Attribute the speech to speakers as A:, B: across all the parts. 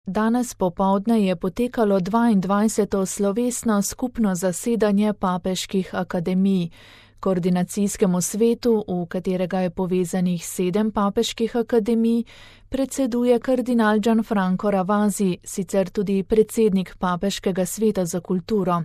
A: Danes popoldne je potekalo 22. slovesno skupno zasedanje papeških akademij. Koordinacijskemu svetu, v katerega je povezanih 7 papeških akademij, predseduje kardinal Gianfranco Ravasi, sicer tudi predsednik Papeškega sveta za kulturo.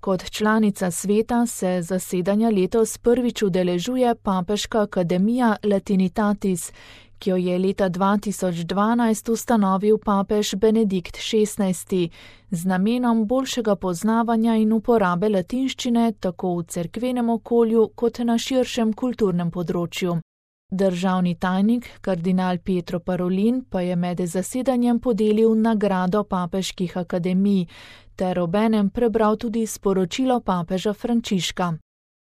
A: Kot članica sveta se zasedanja letos prvič udeležuje Papeška akademija Latinitatis, ki jo je leta 2012 ustanovil papež Benedikt XVI z namenom boljšega poznavanja in uporabe latinščine tako v cerkvenem okolju kot na širšem kulturnem področju. Državni tajnik, kardinal Pietro Parolin, pa je med zasedanjem podelil nagrado papeških akademij ter obenem prebral tudi sporočilo papeža Frančiška.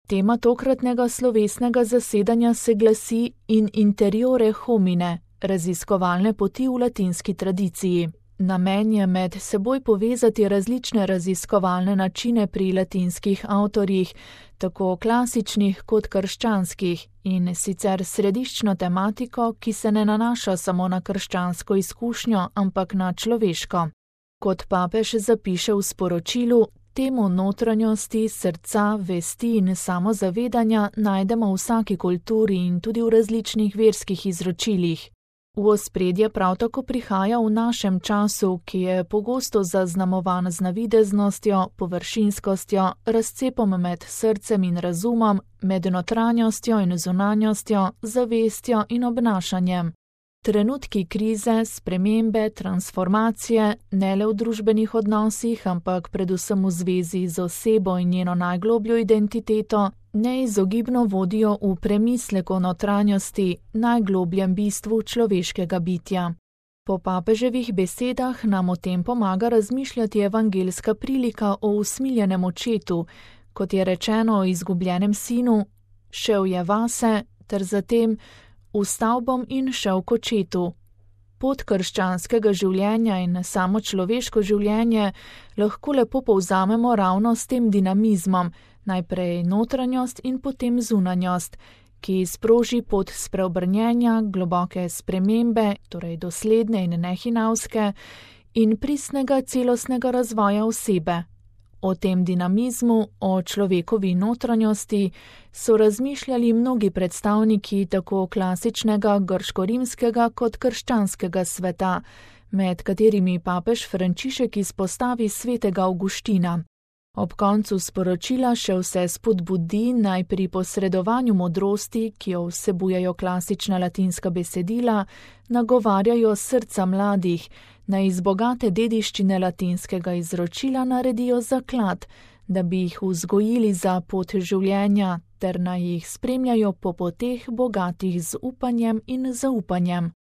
A: Tema tokratnega slovesnega zasedanja se glasi In interiore homine, raziskovalne poti v latinski tradiciji. Namen je med seboj povezati različne raziskovalne načine pri latinskih avtorjih, tako klasičnih kot krščanskih, in sicer središčno tematiko, ki se ne nanaša samo na krščansko izkušnjo, ampak na človeško. Kot papež zapiše v sporočilu, temo notranjosti, srca, vesti in samozavedanja najdemo v vsaki kulturi in tudi v različnih verskih izročilih. V ospredje prav tako prihaja v našem času, ki je pogosto zaznamovan z navideznostjo, površinskostjo, razcepom med srcem in razumom, med notranjostjo in zunanjostjo, zavestjo in obnašanjem. Trenutki krize, spremembe, transformacije, ne le v družbenih odnosih, ampak predvsem v zvezi z osebo in njeno najglobljo identiteto, neizogibno vodijo v premislek o notranjosti, najglobljem bistvu človeškega bitja. Po papeževih besedah nam o tem pomaga razmišljati evangeljska prilika o usmiljenem očetu, kot je rečeno o izgubljenem sinu, šel je vase, ter zatem vstal bom in šel k očetu. Pot krščanskega življenja in samo človeško življenje lahko lepo povzamemo ravno s tem dinamizmom, najprej notranjost in potem zunanjost, ki sproži pot spreobrnjenja, globoke spremembe, torej dosledne in nehinavske, in pristnega celostnega razvoja osebe. O tem dinamizmu, o človekovi notranjosti so razmišljali mnogi predstavniki tako klasičnega grško-rimskega kot krščanskega sveta, med katerimi papež Frančišek izpostavi svetega Avguština. Ob koncu sporočila še vse spodbudi naj pri posredovanju modrosti, ki jo vsebujejo klasična latinska besedila, nagovarjajo srca mladih, naj iz bogate dediščine latinskega izročila naredijo zaklad, da bi jih vzgojili za pot življenja, ter naj jih spremljajo po poteh bogatih z upanjem in zaupanjem.